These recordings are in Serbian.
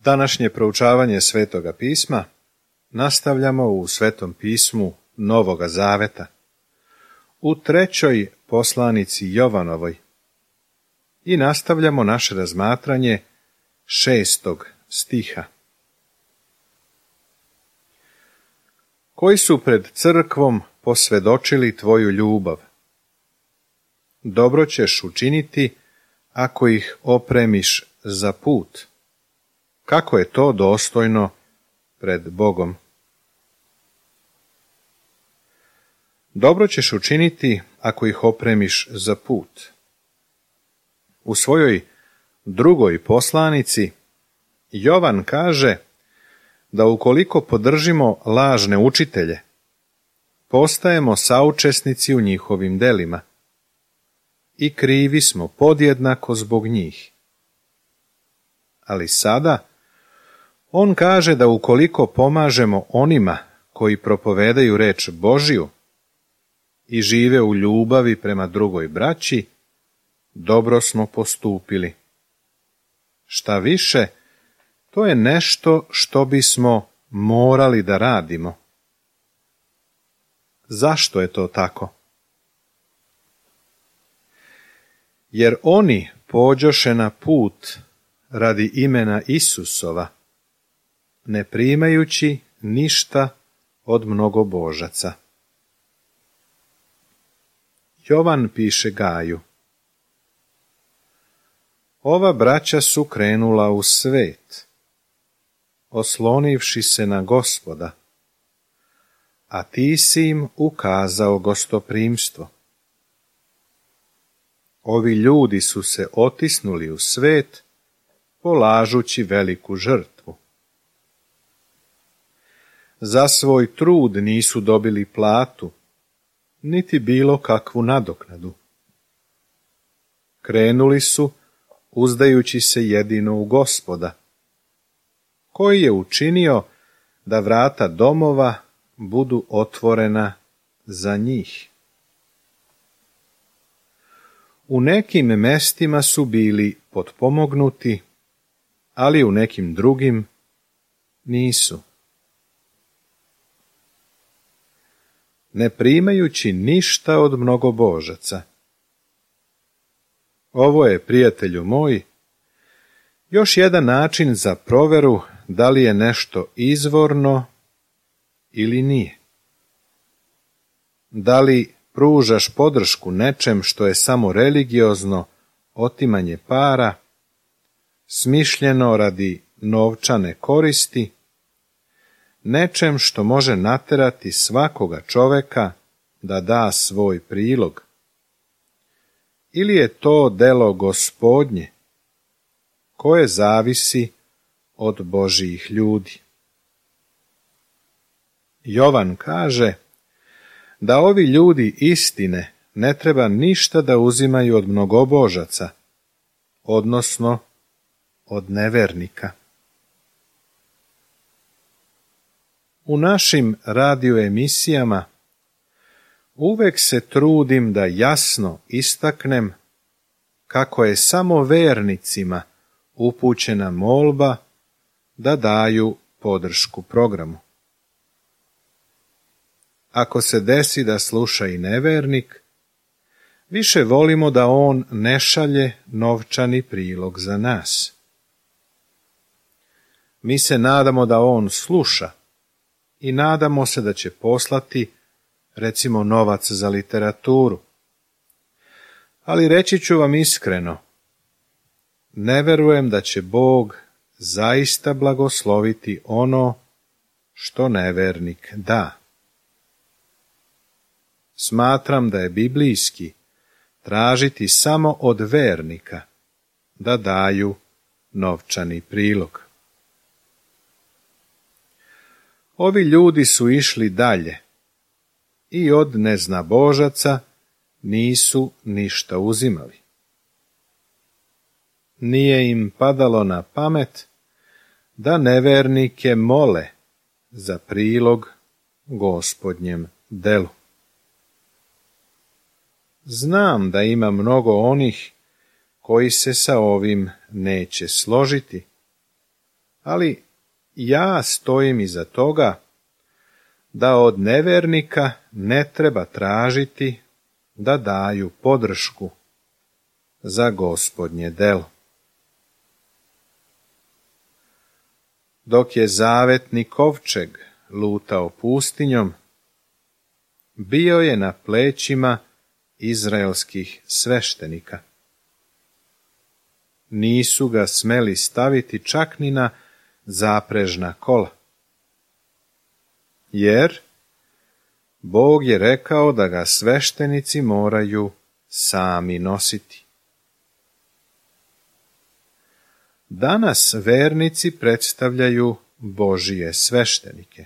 Današnje proučavanje Svetoga pisma nastavljamo u Svetom pismu Novoga Zaveta, u 3. poslanici Jovanovoj, i nastavljamo naše razmatranje 6. stiha. Koji su pred crkvom posvedočili tvoju ljubav? Dobro ćeš učiniti ako ih opremiš za put. Kako je to dostojno pred Bogom? Dobro ćeš učiniti ako ih opremiš za put. U svojoj 2. poslanici Jovan kaže da ukoliko podržimo lažne učitelje, postajemo saučesnici u njihovim delima i krivi smo podjednako zbog njih. Ali sada on kaže da ukoliko pomažemo onima koji propovedaju reč Božiju i žive u ljubavi prema drugoj braći, dobro smo postupili. Šta više, to je nešto što bismo morali da radimo. Zašto je to tako? Jer oni pođoše na put radi imena Isusova, ne primajući ništa od mnogobožaca. Jovan piše Gaju: ova braća su krenula u svet, oslonivši se na Gospoda, a ti si im ukazao gostoprimstvo. Ovi ljudi su se otisnuli u svet, polažući veliku žrtvu. Za svoj trud nisu dobili platu, niti bilo kakvu nadoknadu. Krenuli su, uzdajući se jedino u Gospoda, koji je učinio da vrata domova budu otvorena za njih. U nekim mestima su bili potpomognuti, ali u nekim drugim nisu. Ne primajući ništa od mnogobožaca. Ovo je, prijatelju moj, još jedan način za proveru da li je nešto izvorno ili nije. Da li pružaš podršku nečem što je samo religiozno otimanje para, smišljeno radi novčane koristi, nečem što može naterati svakoga čoveka da da svoj prilog? Ili je to delo Gospodnje, koje zavisi od Božjih ljudi? Jovan kaže da ovi ljudi istine ne treba ništa da uzimaju od mnogobožaca, odnosno od nevernika. U našim radioemisijama uvek se trudim da jasno istaknem kako je samo vernicima upućena molba da daju podršku programu. Ako se desi da sluša i nevernik, više volimo da on ne šalje novčani prilog za nas. Mi se nadamo da on sluša i nadamo se da će poslati, recimo, novac za literaturu. Ali reći ću vam iskreno, ne verujem da će Bog zaista blagosloviti ono što nevernik da. Smatram da je biblijski tražiti samo od vernika da daju novčani prilog. Ovi ljudi su išli dalje i od neznabožaca nisu ništa uzimali. Nije im padalo na pamet da nevernike mole za prilog Gospodnjem delu. Znam da ima mnogo onih koji se sa ovim neće složiti, ali ja stojim iza toga da od nevernika ne treba tražiti da daju podršku za Gospodnje delo. Dok je zavetni kovčeg lutao pustinjom, bio je na plećima izraelskih sveštenika. Nisu ga smeli staviti čak ni na zaprežna kola, jer Bog je rekao da ga sveštenici moraju sami nositi. Danas vernici predstavljaju Božije sveštenike.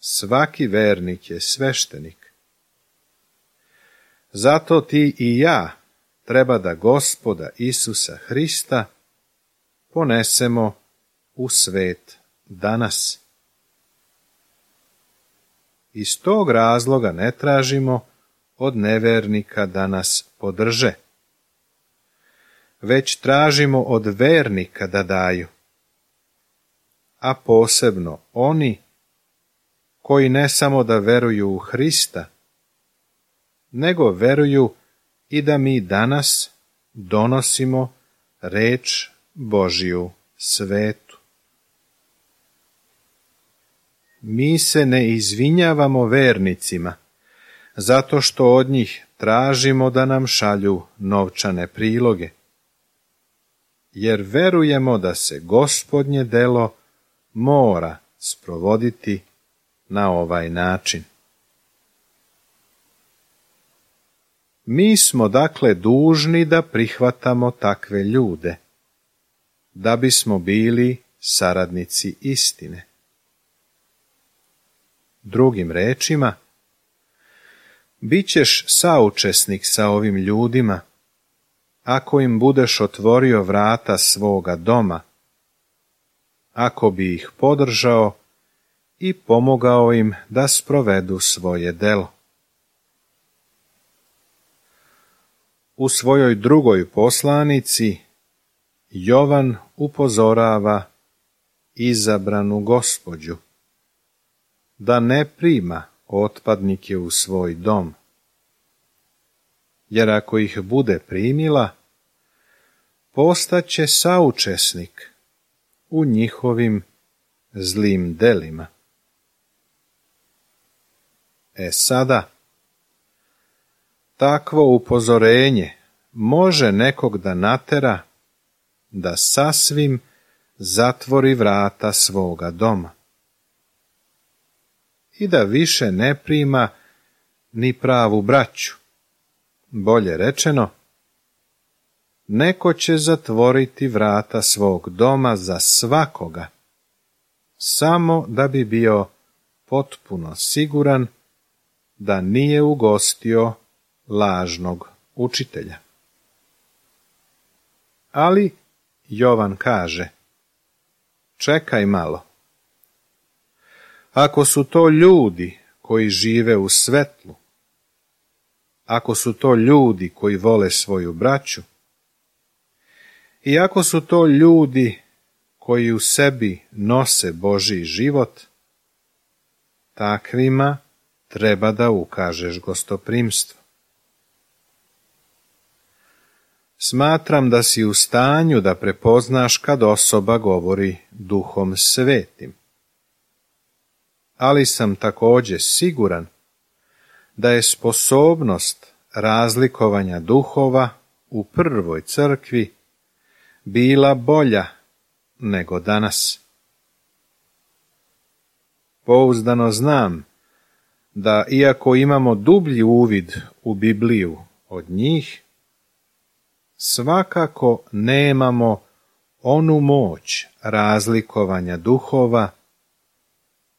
Svaki vernik je sveštenik. Zato ti i ja treba da Gospoda Isusa Hrista ponesemo u svet danas. Iz tog razloga ne tražimo od nevernika da nas podrže, već tražimo od vernika da daju, a posebno oni koji ne samo da veruju u Hrista, nego veruju i da mi danas donosimo reč Božiju svetu. Mi se ne izvinjavamo vernicima zato što od njih tražimo da nam šalju novčane priloge, jer verujemo da se Gospodnje delo mora sprovoditi na ovaj način. Mi smo dakle dužni da prihvatamo takve ljude, da bismo bili saradnici istine. Drugim rečima, bit ćeš saučesnik sa ovim ljudima ako im budeš otvorio vrata svoga doma, ako bi ih podržao i pomogao im da sprovedu svoje delo. U svojoj drugoj poslanici Jovan upozorava izabranu gospođu da ne prima otpadnike u svoj dom, jer ako ih bude primila, postaće saučesnik u njihovim zlim delima. Sada, takvo upozorenje može nekog da natera da sasvim zatvori vrata svoga doma i da više ne prima ni pravu braću. Bolje rečeno, neko će zatvoriti vrata svog doma za svakoga, samo da bi bio potpuno siguran da nije ugostio lažnog učitelja. Ali Jovan kaže, čekaj malo. Ako su to ljudi koji žive u svetlu, ako su to ljudi koji vole svoju braću, i ako su to ljudi koji u sebi nose Božji život, takvima treba da ukažeš gostoprimstvo. Smatram da si u stanju da prepoznaš kad osoba govori Duhom Svetim, ali sam također siguran da je sposobnost razlikovanja duhova u prvoj crkvi bila bolja nego danas. Pouzdano znam da iako imamo dublji uvid u Bibliju od njih, svakako nemamo onu moć razlikovanja duhova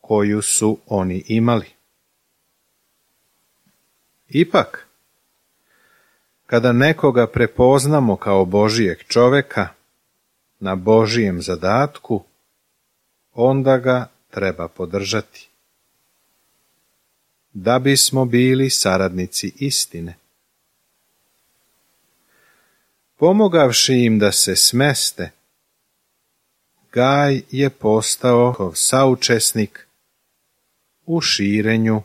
koju su oni imali. Ipak, kada nekoga prepoznamo kao Božijeg čoveka na Božijem zadatku, onda ga treba podržati, da bismo bili saradnici istine. Pomogavši im da se smeste, Gaj je postao saučesnik u širenju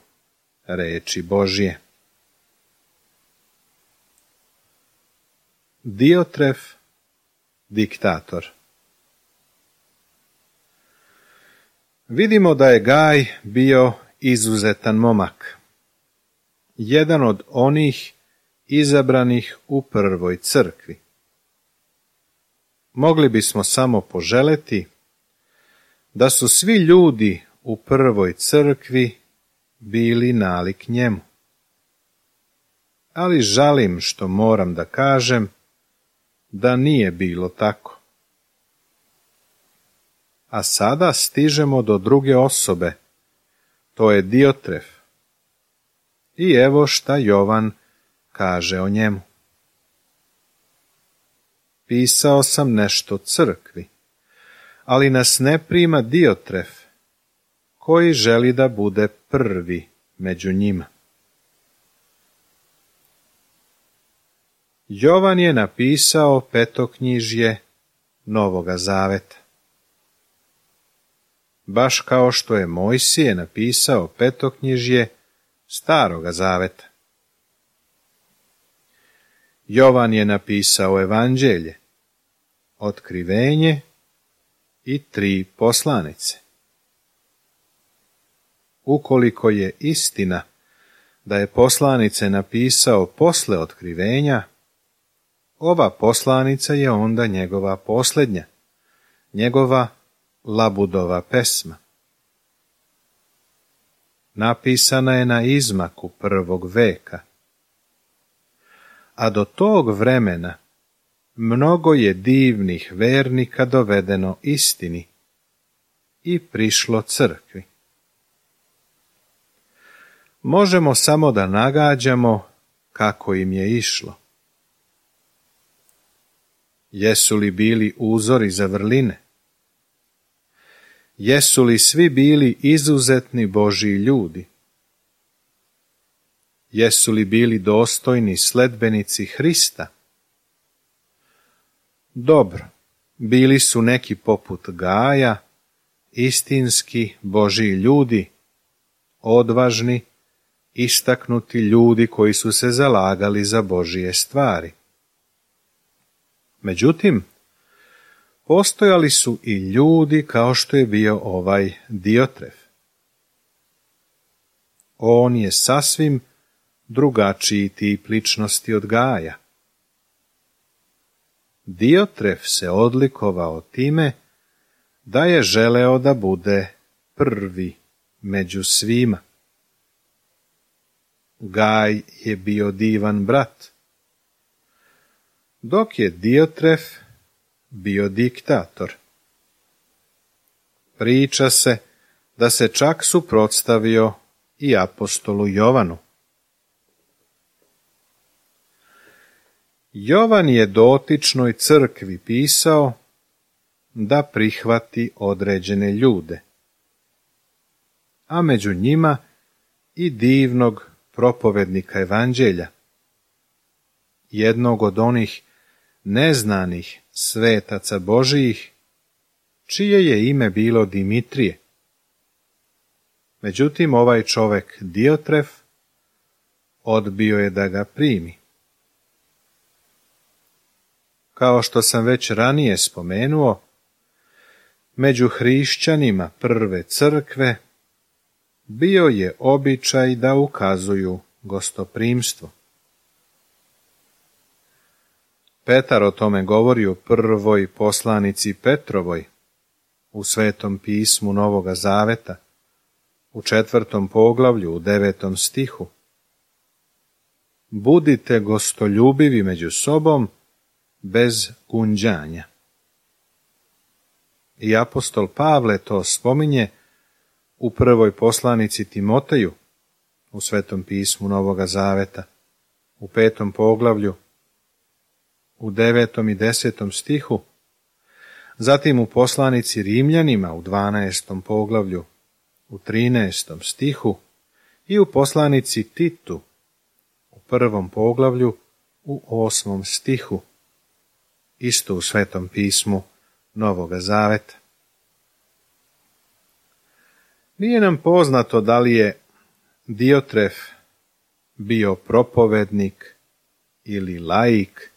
reči Božje. Diotref, diktator. Vidimo da je Gaj bio izuzetan momak, jedan od onih izabranih u prvoj crkvi. Mogli bismo samo poželeti da su svi ljudi u prvoj crkvi bili nalik njemu. Ali žalim što moram da kažem da nije bilo tako. A sada stižemo do druge osobe, to je Diotref. I evo šta Jovan kaže o njemu. Pisao sam nešto crkvi, ali nas ne prima Diotref, koji želi da bude prvi među njima. Jovan je napisao petoknjižje Novoga Zaveta. Baš kao što je Mojsije napisao petoknjižje Staroga Zaveta. Jovan je napisao Evanđelje, Otkrivenje i 3 poslanice. Ukoliko je istina da je poslanice napisao posle Otkrivenja, ova poslanica je onda njegova posljednja, njegova Labudova pesma. Napisana je na izmaku 1. veka, a do tog vremena mnogo je divnih vernika dovedeno istini i prišlo crkvi. Možemo samo da nagađamo kako im je išlo. Jesu li bili uzori za vrline? Jesu li svi bili izuzetni Božji ljudi? Jesu li bili dostojni sledbenici Hrista? Dobro, bili su neki poput Gaja, istinski Božji ljudi, odvažni, istaknuti ljudi koji su se zalagali za Božje stvari. Međutim, postojali su i ljudi kao što je bio ovaj Diotref. On je sasvim drugačiji tip ličnosti od Gaja. Diotref se odlikovao time da je želeo da bude prvi među svima. Gaj je bio divan brat, dok je Diotref bio diktator. Priča se da se čak suprotstavio i apostolu Jovanu. Jovan je dotičnoj crkvi pisao da prihvati određene ljude, a među njima i divnog propovednika Evanđelja, jednog od onih neznanih svetaca Božijih, čije je ime bilo Dimitrije. Međutim, ovaj čovek Diotref odbio je da ga primi. Kao što sam već ranije spomenuo, među hrišćanima prve crkve bio je običaj da ukazuju gostoprimstvo. Petar o tome govori u prvoj poslanici Petrovoj, u Svetom pismu Novoga Zaveta, u 4. poglavlju, u 9. stihu. Budite gostoljubivi među sobom, bez gunđanja. I apostol Pavle to spominje u prvoj poslanici Timoteju, u Svetom pismu Novoga Zaveta, u 5. poglavlju, u 9. i 10. stihu, zatim u poslanici Rimljanima u 12. poglavlju, u 13. stihu i u poslanici Titu u 1. poglavlju, u 8. stihu, isto u Svetom pismu Novoga Zaveta. Nije nam poznato da li je Diotref bio propovednik ili laik,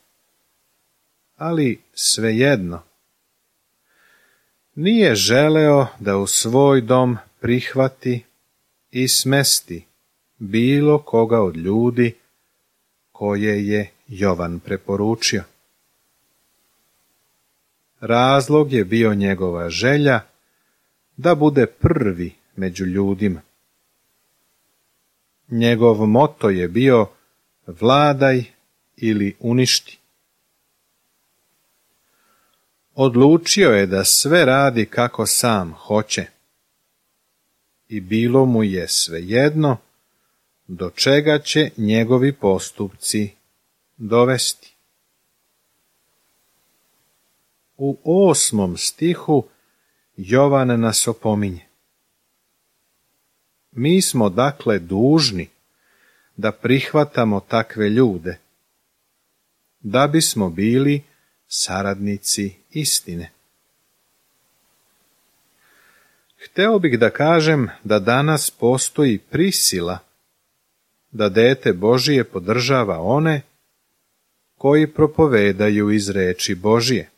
ali svejedno. Nije želeo da u svoj dom prihvati i smesti bilo koga od ljudi koje je Jovan preporučio. Razlog je bio njegova želja da bude prvi među ljudima. Njegov moto je bio vladaj ili uništi. Odlučio je da sve radi kako sam hoće i bilo mu je svejedno do čega će njegovi postupci dovesti. U 8. stihu Jovan nas opominje. Mi smo dakle dužni da prihvatamo takve ljude, da bismo bili saradnici istine. Hteo bih da kažem da danas postoji prisila da dete Božije podržava one koji propovedaju iz reči Božije.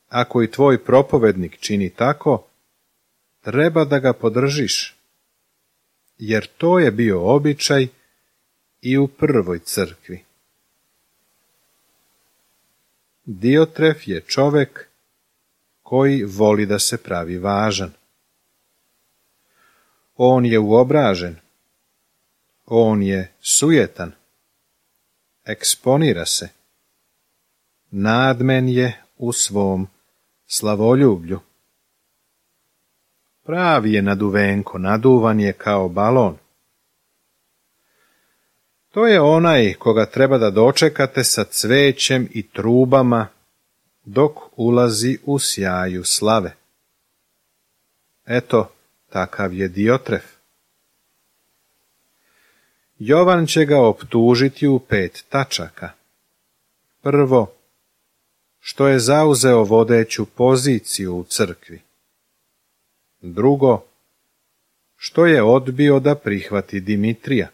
Ako i tvoj propovednik čini tako, treba da ga podržiš, jer to je bio običaj i u prvoj crkvi. Diotref je čovek koji voli da se pravi važan. On je uobražen, on je sujetan, eksponira se, nadmen je u svom slavoljublju. Pravi je naduvenko, naduvan je kao balon. To je onaj koga treba da dočekate sa cvećem i trubama dok ulazi u sjaju slave. Eto, takav je Diotref. Jovan će ga optužiti u 5 tačaka. Prvo, što je zauzeo vodeću poziciju u crkvi. Drugo, što je odbio da prihvati Dimitrija.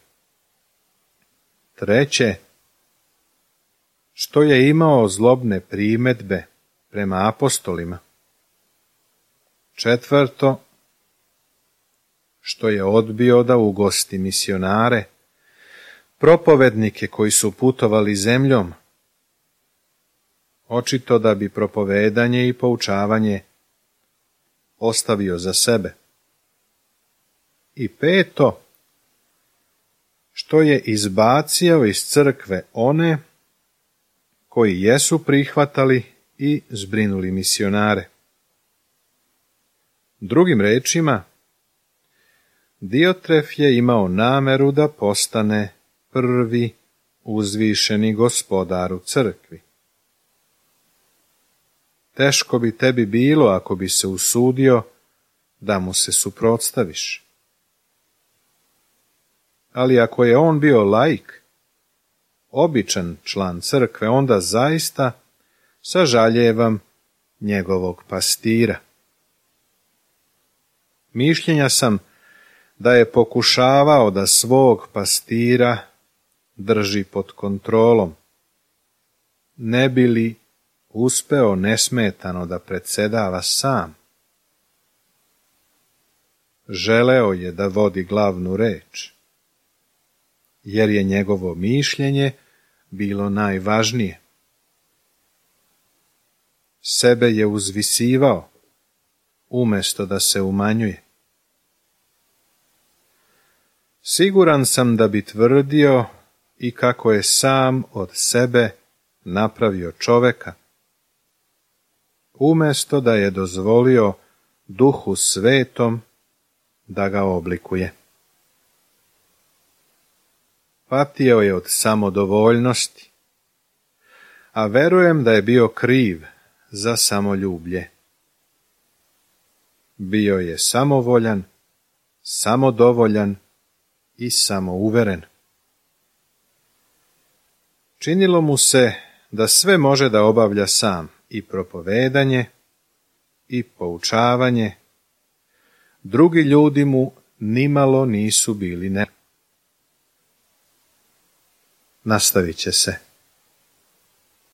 Treće, što je imao zlobne primedbe prema apostolima. Četvrto, što je odbio da ugosti misionare, propovednike koji su putovali zemljom, očito da bi propovedanje i poučavanje ostavio za sebe. I peto, što je izbacio iz crkve one koji jesu prihvatali i zbrinuli misionare. Drugim rečima, Diotref je imao nameru da postane prvi uzvišeni gospodar u crkvi. Teško bi tebi bilo ako bi se usudio da mu se suprotstaviš. Ali ako je on bio laik, običan član crkve, onda zaista sažaljevam njegovog pastira. Mišljenja sam da je pokušavao da svog pastira drži pod kontrolom, ne bi li uspeo nesmetano da predsedava sam. Želeo je da vodi glavnu reč, jer je njegovo mišljenje bilo najvažnije. Sebe je uzvisivao, umjesto da se umanjuje. Siguran sam da bi tvrdio i kako je sam od sebe napravio čoveka, umjesto da je dozvolio Duhu Svetom da ga oblikuje. Patio je od samodovoljnosti, a verujem da je bio kriv za samoljublje. Bio je samovoljan, samodovoljan i samouveren. Činilo mu se da sve može da obavlja sam, i propovedanje, i poučavanje, drugi ljudi mu nimalo nisu bili ne. Nastavit će se.